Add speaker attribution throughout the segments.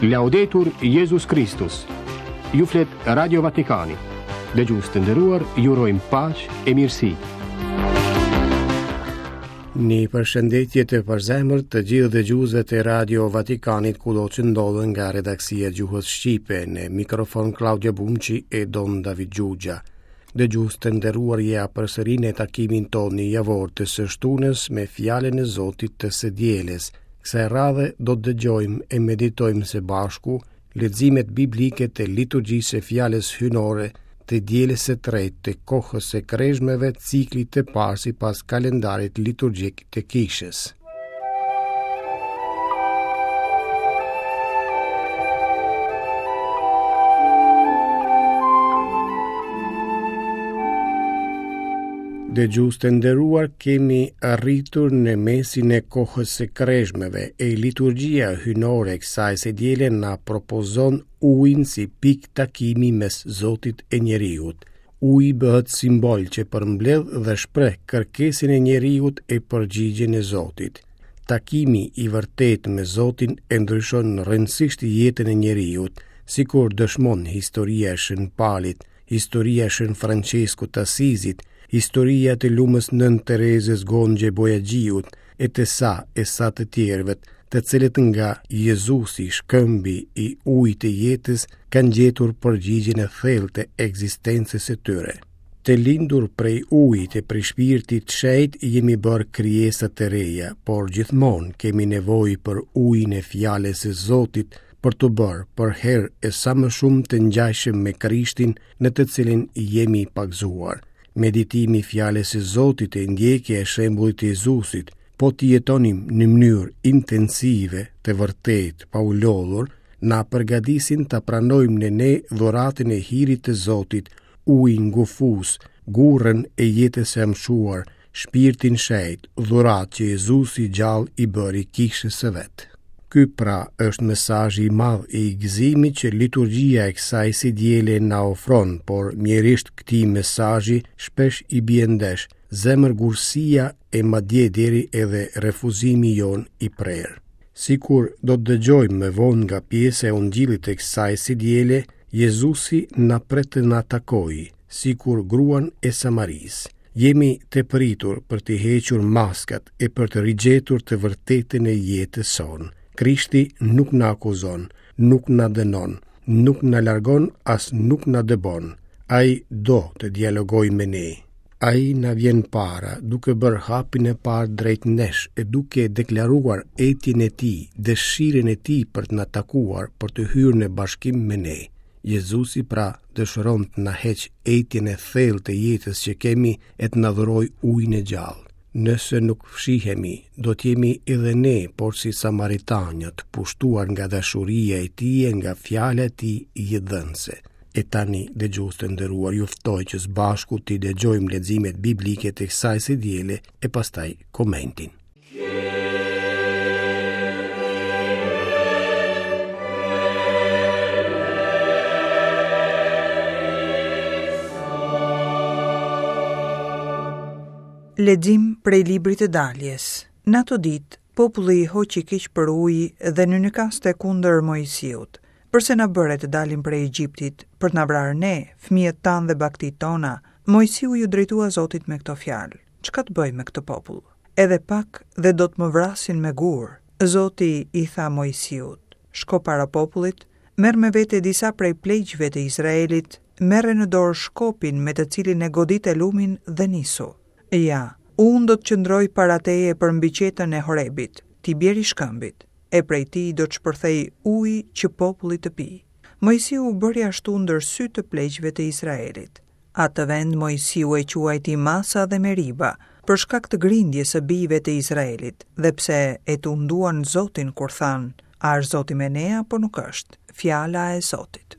Speaker 1: Laudetur Jezus Kristus. Ju flet Radio Vatikani. Dëgjues të nderuar, ju urojmë paqe e mirësi.
Speaker 2: Një përshëndetje të përzemërt të gjithë dëgjuesve të Radio Vatikanit kudo që ndodhen nga redaksia e gjuhës shqipe në mikrofon Klaudio Bumçi e Don David Xhuxha. Dëgjues të nderuar ja përsëri në takimin tonë javor të së shtunës me fjalën e Zotit të së dielës. Kësaj radhe do të dëgjojmë e meditojmë së bashku leximet biblike të liturgjisë së fjalës hyjnore të dielës së tretë të kohës së krezhmeve ciklit të parë sipas kalendarit liturgjik të kishës. Dëgjues të nderuar kemi arritur në mesin e kohës së krezhmeve e liturgjia hyjnore e kësaj së diele na propozon ujin si pikë takimi mes Zotit e njeriut. Uji bëhet simbol që përmbledh dhe shpreh kërkesën e njeriut e përgjigjen e Zotit. Takimi i vërtetë me Zotin e ndryshon rrënjësisht jetën e njeriut, sikur dëshmon historia e Shën Palit, historia e Shën Françeskut të Asizit, historia e të lumës Nënë Terezës Gonxhe Bojaxhiut, e të sa e sa të tjerëve, të cilët nga Jezusi, shkëmbi i ujit të jetës, kanë gjetur përgjigjen e thellë të ekzistencës së tyre. Të lindur prej ujit e prej shpirtit të shenjtë jemi bërë krijesa të reja, por gjithmonë kemi nevojë për ujin e fjalës së Zotit për t'u bërë përherë e sa më shumë të ngjashëm me Krishtin në të cilin jemi pagëzuar. Meditimi i fjalës së Zotit e ndjekja e shembullit të Jezusit, po t'i jetonim në mënyrë intensive, të vërtetë, pa u lodhur, na përgatisin ta pranojmë në ne dhuratën e hirit të Zotit, ujin gufues, gurrën e jetës së amshuar, shpirtin shenjt, dhuratë që Jezusi i gjallë i bëri kishës së vet. Ky pra është mesazhi i madh i gëzimit që liturgjia e kësaj së diele na ofron, por mjerisht këtij mesazhi shpesh i bie ndesh zemërgurësia e madje deri edhe refuzimi jonë i prerë. Sikur do të dëgjojmë më vonë nga pjesa e ungjillit të kësaj së diele, Jezusi na pret të na takojë, sikur gruan e Samarisë. Jemi të pritur për të hequr maskat e për të rigjetur të vërtetën e jetës sonë. Krishti nuk na akuzon, nuk na dënon, nuk na largon as nuk na dëbon. Ai do të dialogojë me ne. Ai na vjen para, duke bërë hapin e parë drejt nesh e duke deklaruar etjen e tij, dëshirën e tij për të na takuar, për të hyrë në bashkim me ne. Jezusi pra dëshiron të na heqë etjen e thellë të jetës që kemi e të na dhurojë ujin e gjallë. Nëse nuk fshihemi, do të jemi edhe ne, porsi Samaritanja, të pushtuar nga dashuria e tij e nga fjala e tij jetëdhënëse. E tani, dëgjues të nderuar, ju ftoj që së bashku t'i dëgjojmë leximet biblike të kësaj së diele e pastaj komentin.
Speaker 3: Lexim prej librit të daljes. Në ato ditë, populli hoqi keq për ujë dhe nynykaste kundër Moisiut. Përse na bëre të dalim prej Egjiptit, për të na vrarë ne, fëmijët tanë dhe bagëtitë tona? Moisiu iu drejtua Zotit me këto fjalë. Çka të bëj me këtë popull? Edhe pak dhe do të më vrasin me gurë. Zoti i tha Moisiut, Shko para popullit, merr me vete disa prej pleqve të Izraelit, merre në dorë shkopin me të cilin e godite lumin dhe nisu. Ja, unë do të qëndroj para teje përmbi qetën e Horebit, ti bjeri shkëmbit, e prej tij do të shpërthejë ujë që populli të pijë. Moisiu bëri ashtu ndër sy të pleqve të Izraelit. Atë vend Moisiu e quajti Masa dhe Meriba, për shkak të grindjes së bijve të Izraelit, dhe pse e tunduan Zotin kur thanë, A është Zoti me ne apo nuk është? Fjala e Zotit.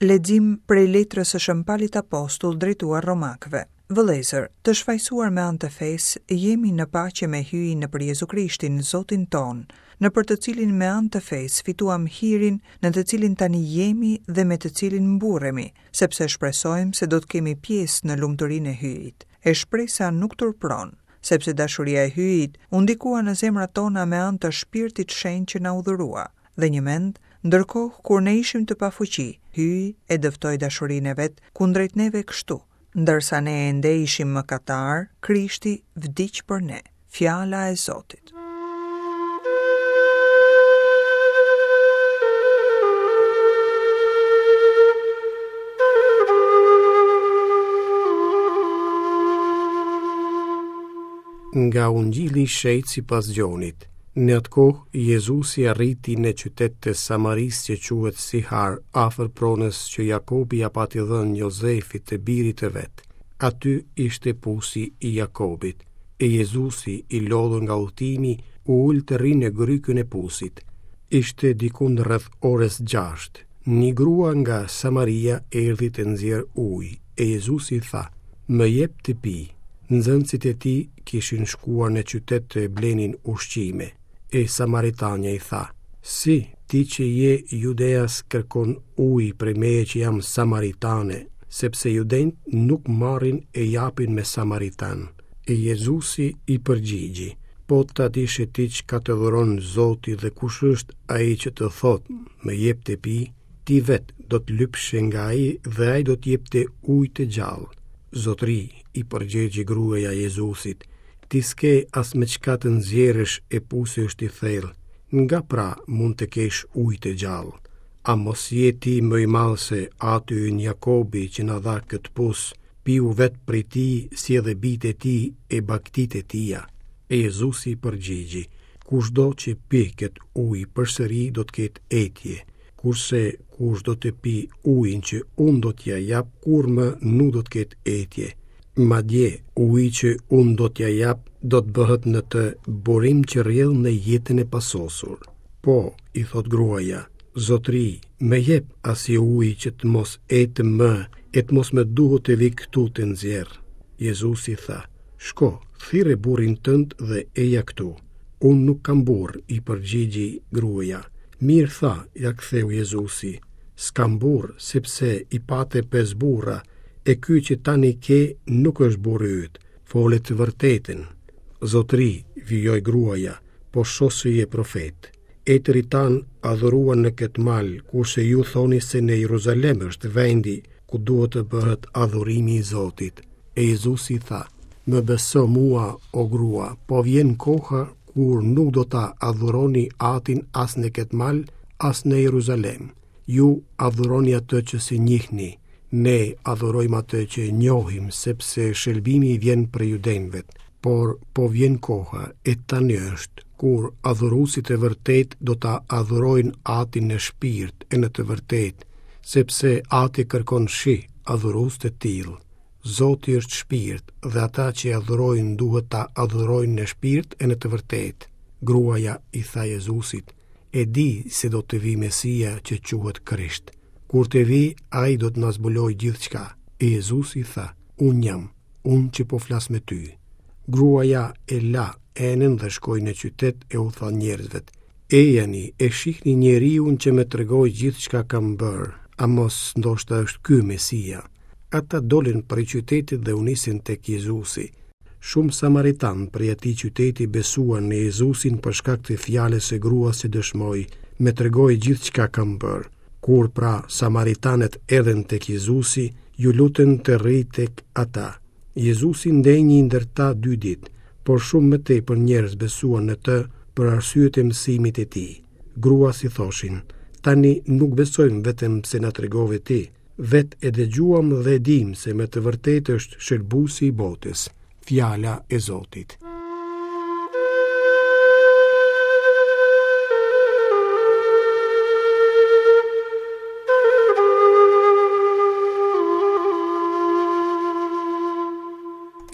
Speaker 3: Lexim prej letrës së Shën Palit Apostull drejtuar Romakëve. Vëllezër, të shfajësuar me anë të fesë, jemi në paqe me Hyjin nëpër Jezu Krishtin, Zotin tonë. nëpër të cilin me anë të fesë fituam hirin në të cilin tani jemi dhe me të cilin mburremi, sepse shpresojmë se do të kemi pjesë në lumturinë e Hyjit. E shpresa nuk turpëron, sepse dashuria e Hyjit u ndikua në zemrat tona me anë të Shpirtit Shenjt që na u dhurua. Dhe njëmend, ndërkohë kur ne ishim të pafuqi, Hyji e dëftoi dashurinë e vet kundrejt neve kështu, ndërsa ne ende ishim mëkatarë, Krishti vdiq për ne. Fjala e Zotit.
Speaker 2: Nga Ungjilli i Shenjtë sipas Gjonit. Në atë kohë, Jezusi arriti në qytet të Samarisë që quhet Sihar, afër pronës që Jakobi ia pati dhënë Jozefit të birit të vet. Aty ishte pusi i Jakobit. E Jezusi, i lodhur nga udhëtimi, u ul të rrijë në grykën e pusit. Ishte dikund rreth orës 6. Një grua nga Samaria erdhi të nxjerrë ujë, e Jezusi i tha, Më jep të pi. Nxënësit e tij kishin shkuar në qytet të blenin ushqime. E Samaritanja i tha, Si, ti që je judeas kërkon ujë prej meje që jam samaritane, sepse judenjtë nuk marrin e japin me samaritanë. E Jezusi i përgjigji, Po ta dishe ti çka të dhuron Zoti dhe kush është ai që të thotë, më jep të pi, ti vetë do të lypshe nga ai dhe ai do të jepte ujë të gjallë. Zotëri, i përgjigji gruaja Jezusit, ti s'ke as me çka të nxjerrësh e pusi është i thellë, nga pra mund të kesh ujë të gjallë? A mos je ti më i madh se ati ynë Jakobi që na dha këtë pus, piu vetë prej tij si edhe bijtë e tij e bagëtitë e tija? E Jezusi i përgjigji, kushdo që pi këtë ujë përsëri do të ketë etje, kurse kushdo të pijë ujin që unë do t'ia jap, kurrë më nuk do të ketë etje. Madje, uji që unë do t'ia jap do të bëhet në të burim që rrjedh në jetën e pasosur. Po, i thotë gruaja, zotëri, më jep asaj uji që të mos etem më e të mos më duhet të vij këtu të nxjerr. Jezusi tha, shko, thirre burrin tënd dhe eja këtu. Unë nuk kam burrë, i përgjigji gruaja. Mirë tha, ia ktheu Jezusi, s'kam burrë, sepse i pate pesë burra, e ky që tani ke nuk është burri yt. Fole të vërtetën. Zotëri, vijoi gruaja, po shoh se je profet. Etërit tanë adhuruan në këtë mal, kurse ju thoni se në Jeruzalem është vendi ku duhet të bëhet adhurimi i Zotit. E Jezusi tha, më beso mua, o grua, po vjen koha kur nuk do ta adhuroni Atin as në këtë mal, as në Jeruzalem. Ju adhuroni atë që s'e njihni, ne adhurojmë atë që e njohim, sepse shëlbimi vjen prej judenjve. Por po vjen koha, e tani është, kur adhuruesit e vërtetë do ta adhurojnë Atin në shpirt e në të vërtetë, sepse Ati kërkon shi adhurues të tillë. Zoti është shpirt dhe ata që e adhurojnë duhet ta adhurojnë në shpirt e në të vërtetë. Gruaja i tha Jezusit, E di se do të vijë Mesia që quhet Krisht. Kur të vijë, ai do të na zbulojë gjithçka. E Jezusi tha, Unë jam, unë që po flas me ty. Gruaja e la enën dhe shkoi në qytet e u tha njerëzve, Ejani e shihni njeriun që më tregoi gjithçka kam bërë, a mos ndoshta është ky Mesia? Ata dolën prej qytetit dhe u nisën tek Jezusi. Shumë samaritanë prej atij qyteti besuan në Jezusin për shkak të fjalës së gruas që dëshmoi, më tregoi gjithçka kam bërë. Kur pra samaritanët erdhën tek Jezusi, iu lutën të rrijë tek ata. Jezusi ndenji ndër ta dy ditë, por shumë më tepër njerëz besuan në të për arsye të mësimit të tij. Gruas i thoshin, tani nuk besojmë vetëm pse na tregove ti, Vetë e dëgjuam dhe e dimë se me të vërtetë është shëlbuesi i botës, fjala e Zotit.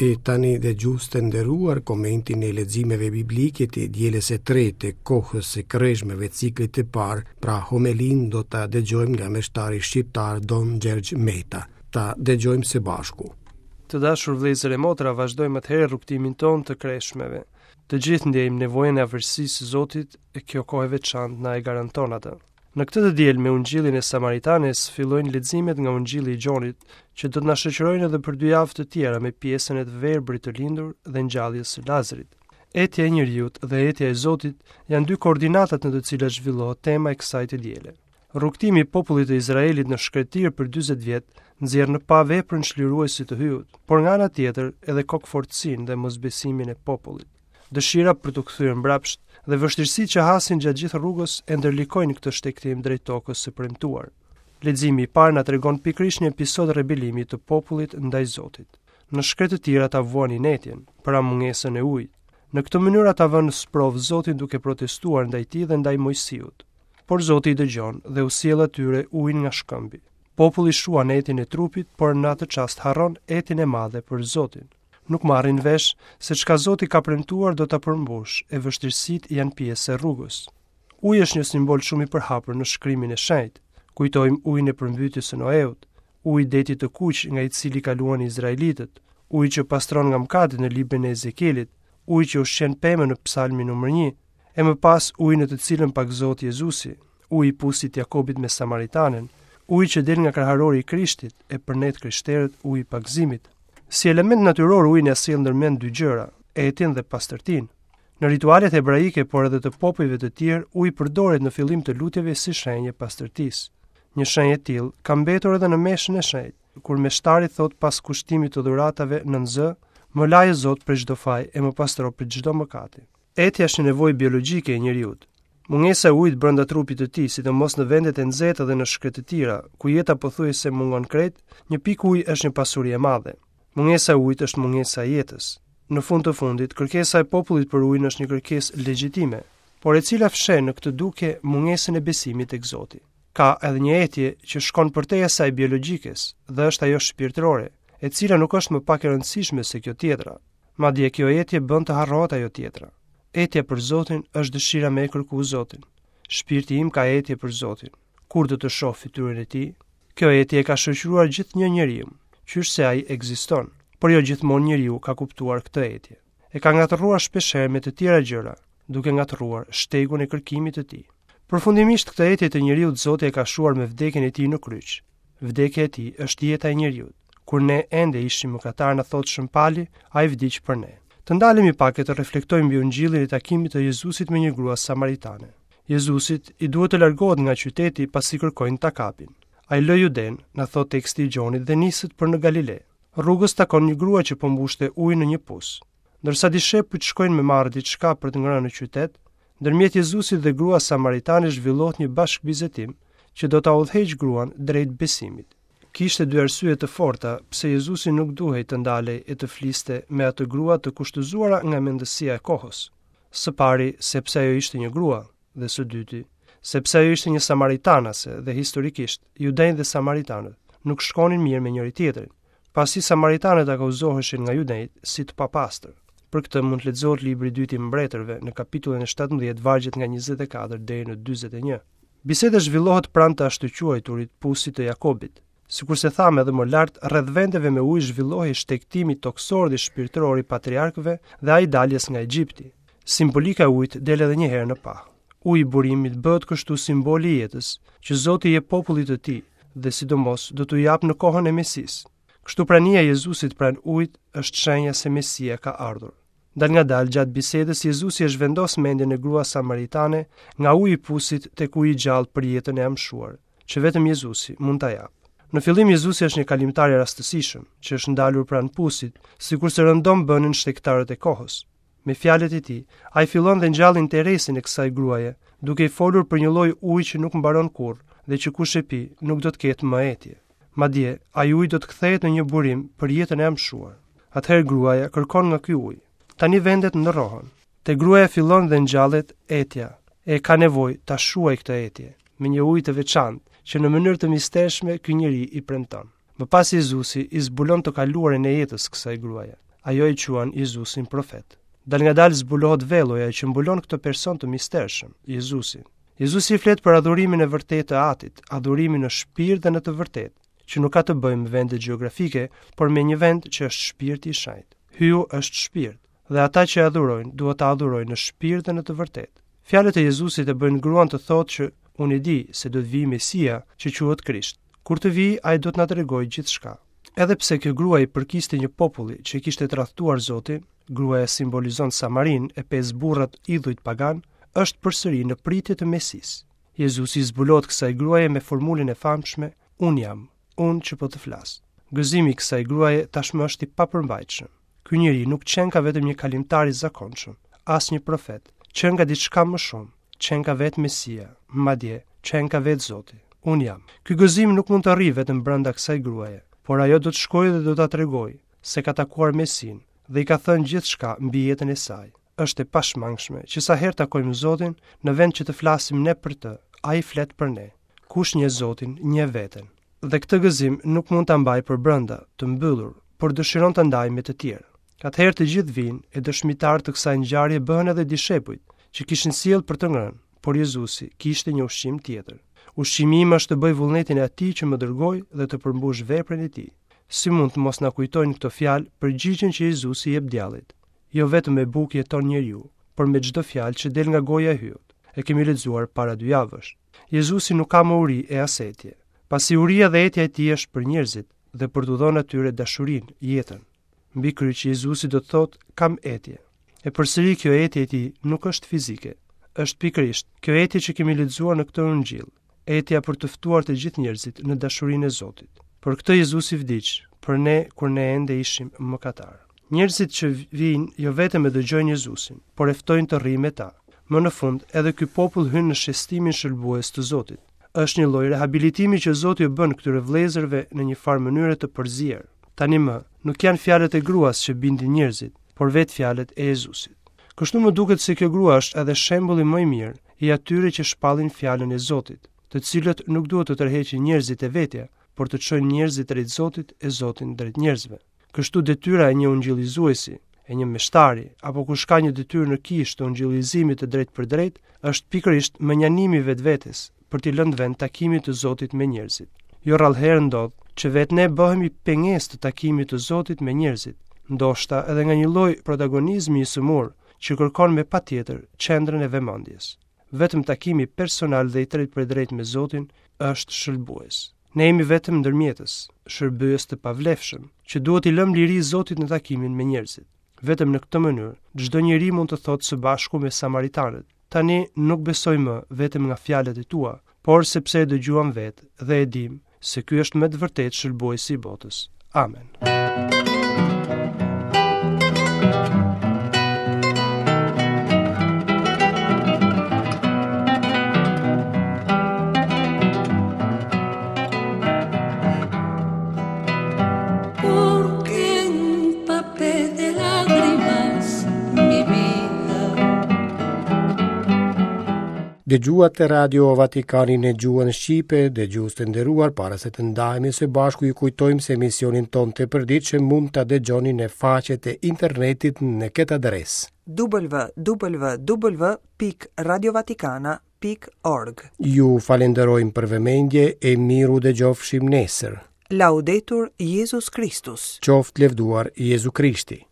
Speaker 2: E tani dëgjues të nderuar komentin e leximeve biblike të dielës së tretë të kohës së kreshmeve ciklit të parë, pra homelinë do ta dëgjojmë nga meshtari shqiptar Don Gjergj Meta. Ta dëgjojmë së bashku.
Speaker 4: Të dashur vëllezër e motra, vazhdojmë atëherë rrugëtimin tonë të kreshmeve. Të gjithë ndjejmë nevojën e afërsisë së Zotit e kjo kohë e veçantë na e garanton atë. Në këtë të diel me Ungjillin e Samaritanes fillojnë leximet nga Ungjilli i Gjonit, që do të na shoqërojnë edhe për dy javë të tjera me pjesën e të verbrit të lindur dhe ngjalljes së Lazrit. Etja e njeriut dhe etja e Zotit janë dy koordinatat në të cilat zhvillohet tema e kësaj të diele. Rrugëtimi i popullit të Izraelit në shkretëtirë për 40 vjet nxjerr në pah veprën çliruese të Hyjut, por nga ana tjetër edhe kokëfortësinë dhe mosbesimin e popullit. Dëshira për t'u kthyer mbrapsht dhe vështirësitë që hasin gjatë gjithë rrugës e ndërlikojnë këtë shtegtim drejt tokës së premtuar. Leximi i parë na tregon pikërisht një episod rebelimi të popullit ndaj Zotit. Në shkretëtirë ata vuanin etjen, pra mungesën e ujit. Në këtë mënyrë ata vënë në sprovë Zotin duke protestuar ndaj tij dhe ndaj Moisiut. Por Zoti i dëgjon dhe u sjell atyre ujin nga shkëmbi. Populli shuan etjen e trupit, por në atë çast harron etjen e madhe për Zotin. Nuk marrin vesh se çka Zoti ka premtuar do ta përmbushë e vështirësitë janë pjesë e rrugës. Uji është një simbol shumë i përhapur në shkrimin e shenjtë. Kujtojmë ujin e përmbytjes së Noeut, uji i detit të kuq nga i cili kaluan izraelitët, uji që pastron nga mëkatet në librin e Ezekielit, uji që ushqen pemën në psalmin numër 1, e më pas uji në të cilën pagëzohet Jezusi, uji i pusit të Jakobit me Samaritanen, uji që del nga kraharori i Krishtit, e për ne të krishterët uji i pagëzimit. Si element natyror uji na sjell ndërmend dy gjëra, etjen dhe pastërtinë. Në ritualet hebraike, por edhe të popujve të tjerë, uji përdoret në fillim të lutjeve si shenjë e pastërtisë. Një shenjë e tillë ka mbetur edhe në meshën e shenjtë, kur meshtari thotë pas kushtimit të dhuratave nën zë, më laj o Zot prej çdo faj e më pastro prej çdo mëkati. Etja është një nevojë biologjike e njeriut. Mungesa e ujit brenda trupit të tij, sidomos në vendet e nxehta dhe në shkretëtira, ku jeta pothuajse mungon krejt, një pikë ujë është një pasuri e madhe. Mungesa e ujit është mungesa e jetës. Në fund të fundit, kërkesa e popullit për ujin është një kërkesë legjitime, por e cila fsheh në këtë dukje mungesën e besimit tek Zoti. Ka edhe një etje që shkon përtej asaj biologjikes dhe është ajo shpirtërore, e cila nuk është më pak e rëndësishme se kjo tjetra. Madje kjo etje bën të harrohet ajo tjetra. Etja për Zotin është dëshira me e kërku Zotin. Shpirti im ka etje për Zotin. Kur do të shoh fytyrën e tij? Kjo etje e ka shoqëruar gjithnjë njeriun, qysh se ai ekziston, por jo gjithmonë njeriu ka kuptuar këtë etje. E ka ngatërruar shpeshherë me të tjera gjëra, duke ngatërruar shtegun e kërkimit të tij. Përfundimisht këtë etje të njeriut Zoti e ka shuar me vdekjen e tij në kryq. Vdekja e tij është jeta e njeriut. Kur ne ende ishim mëkatarë na thotë Shën Pali, ai vdiq për ne. Të ndalemi pak e të reflektojmë mbi ungjillin e takimit të Jezusit me një grua samaritane. Jezusit i duhet të largohet nga qyteti pasi kërkojnë ta kapin. Ai lë Judenë, na thotë teksti i Gjonit dhe niset për në Galile. Rrugës takon një grua që po mbushte ujë në një pus. Ndërsa dishepujt shkojnë me marrë diçka për të ngrënë në qytet, ndërmjet Jezusit dhe gruas samaritane zhvillohet një bashkëbisedim që do ta udhëheqë gruan drejt besimit. Kishte dy arsye të forta pse Jezusi nuk duhej të ndalej e të fliste me atë grua të kushtëzuara nga mendësia e kohës. Së pari, sepse ajo ishte një grua, dhe së dyti, sepse ajo ishte një samaritanase dhe historikisht, judenjtë dhe samaritanët nuk shkonin mirë me njëri-tjetrin, pasi samaritanët akuzoheshin nga judenjtë si të papastër. Për këtë mund të lexohet libri i dytë i Mbretërve në kapitullin e 17 vargjet nga 24 deri në 41. Biseda zhvillohet pranë të ashtuquajturit pusit të Jakobit. Sikurse thamë edhe më lart, rreth vendeve me ujë zhvillohej shtegtimi tokësor dhe shpirtëror i patriarkëve dhe ai i daljes nga Egjipti. Simbolika e ujit del edhe një herë në pah. Uji i burimit bëhet kështu simboli i jetës që Zoti i jep popullit të tij dhe sidomos do t'u japë në kohën e Mesisë. Kështu prania e Jezusit pranë ujit është shenja se Mesia ka ardhur. Dalngadalë gjatë bisedës Jezusi e zhvendos mendjen e gruas samaritane nga uji i pusit tek uji i gjallë për jetën e amshuar, që vetëm Jezusi mund ta japë. Në fillim Jezusi është një kalimtar i rastësishëm, që është ndalur pranë pusit, sikurse rëndom bënin shtegtarët e kohës. Me fjalët e tij, ai fillon dhe ngjall interesin e kësaj gruaje, duke i folur për një lloj uji që nuk mbaron kurrë dhe që kush e pi nuk do të ketë më etje. Madje, ai ujë do të kthehet në një burim për jetën e amshuar. Atëherë gruaja kërkon nga ky ujë. Tani vendet ndërrohen. Te gruaja fillon dhe ngjallet etja, e ka nevojë ta shuajë këtë etje me një ujë të veçantë, që në mënyrë të mistershme ky njeri i premton. Më pas Jezusi i zbulon të kaluarën e jetës kësaj gruaje. Ajo e quan Jezusin profet. Dalngadalë zbulohet velloja që mbulon këtë person të mistershëm, Jezusin. Jezusi i flet për adhurimin e vërtetë të Atit, adhurimin në shpirt dhe në të vërtetë. Që nuk ka të bëjë me vende gjeografike, por me një vend që është shpirti i shenjtë. Hyu është shpirt, dhe ata që e adhurojnë duhet ta adhurojnë në shpirt dhe në të vërtetë. Fjalët e Jezusit e bëjnë gruan të thotë që unë e di se do të vijë Mesia, që quhet Krisht. Kur të vijë, ai do të na tregojë gjithçka. Edhe pse kjo grua i përkiste një populli që e kishte tradhtuar Zotin, gruaja simbolizon Samarinë e pesë burrat idhujt paganë, është përsëri në pritje të Mesisë. Jezusi i zbulohet kësaj gruaje me formulën e famshme, Unë jam, unë që po të flas. Gëzimi i kësaj gruaje tashmë është i papërmbajtshëm. Ky njeri nuk qenka vetëm një kalimtar i zakonshëm, as një profet, qenka diçka më shumë, qenka vetë Mesia, madje qenka vetë Zoti. Unë jam. Ky gëzim nuk mund të rrijë vetëm brenda kësaj gruaje, por ajo do të shkojë dhe do ta tregojë se ka takuar Mesinë dhe i ka thënë gjithçka mbi jetën e saj. Është e pashmangshme që sa herë takojmë Zotin, në vend që të flasim ne për të, ai flet për ne. Kush njeh Zotin, njeh veten. Dhe këtë gëzim nuk mund ta mbajë përbrenda, të mbyllur, por dëshiron ta ndajë me të tjerë. Atëherë të gjithë vijnë, e dëshmitarë të kësaj ngjarje bëhen edhe dishepujt, që kishin sjellë për të ngrënë, por Jezusi kishte një ushqim tjetër. Ushqimi im është të bëj vullnetin e atij që më dërgoi dhe të përmbush veprën e tij. Si mund të mos na kujtojnë këto fjalë përgjigjen që Jezusi i jep djallit? Jo vetëm me bukë jeton njeriu, por me çdo fjalë që del nga goja e Hyut. E kemi lexuar para dy javësh. Jezusi nuk ka më uri e as etje, pasi uria dhe etja e tij është për njerëzit dhe për t'u dhënë atyre dashurinë, jetën. Mbi kryq Jezusi do të thotë kam etje. E përsëri kjo etje e tij nuk është fizike, është pikërisht kjo etje që kemi lexuar në këtë ungjill, etja për të ftuar të gjithë njerëzit në dashurinë e Zotit. Për këtë Jezusi vdiq, për ne kur ne ende ishim mëkatarë. Njerëzit që vijnë jo vetëm e dëgjojnë Jezusin, por e ftojnë të rrijë me ta. Më në fund, edhe ky popull hyn në shestimin shëlbues të Zotit. Është një lloj rehabilitimi që Zoti u bën këtyre vëllezërve në një farë mënyre të përzier. Tani më, nuk janë fjalët e gruas që bindin njerëzit, por vetë fjalët e Jezusit. Kështu më duket se kjo grua është edhe shembulli më i mirë i atyre që shpallin fjalën e Zotit, të cilët nuk duhet të tërheqin njerëzit te vetja, por të çojnë njerëzit drejt Zotit e Zotin drejt njerëzve. Kështu detyra e një ungjillizuesi, e një meshtari, apo kush ka një detyrë në kishë të ungjillizimit të drejtpërdrejtë, është pikërisht mënjanimi i vetvetes për t'i lënë vend takimit të Zotit me njerëzit. Jo rrallëherë ndodh që vetë ne bëhemi pengesë të takimit të Zotit me njerëzit, ndoshta edhe nga një lloj protagonizmi i sëmurë që kërkon me patjetër qendrën e vëmendjes. Vetëm takimi personal dhe i drejtpërdrejtë me Zotin është shëlbues. Ne jemi vetëm ndërmjetës, shërbyes të pavlefshëm, që duhet t'i lëmë liri Zotit në takimin me njerëzit. Vetëm në këtë mënyrë, çdo njeri mund të thotë së bashku me samaritanët, tani nuk besoj më vetëm nga fjalët e tua, por sepse e dëgjuam vetë dhe e dimë se ky është me të vërtetë shëlbuesi i botës. Amen.
Speaker 2: Dëgjuat Radio Vatikanin në gjuhën shqipe, dëgjues të nderuar, para se të ndahemi së bashku ju kujtojmë se emisionin tonë të përditshëm mund ta dëgjoni në faqet e internetit në këtë adresë.
Speaker 3: www.radiovatikana.org
Speaker 2: Ju falenderojmë për vëmendje e mirudëgjofshim nesër.
Speaker 3: Laudetur Jezus Kristus.
Speaker 2: Qoftë lëvduar Jezu Krishti.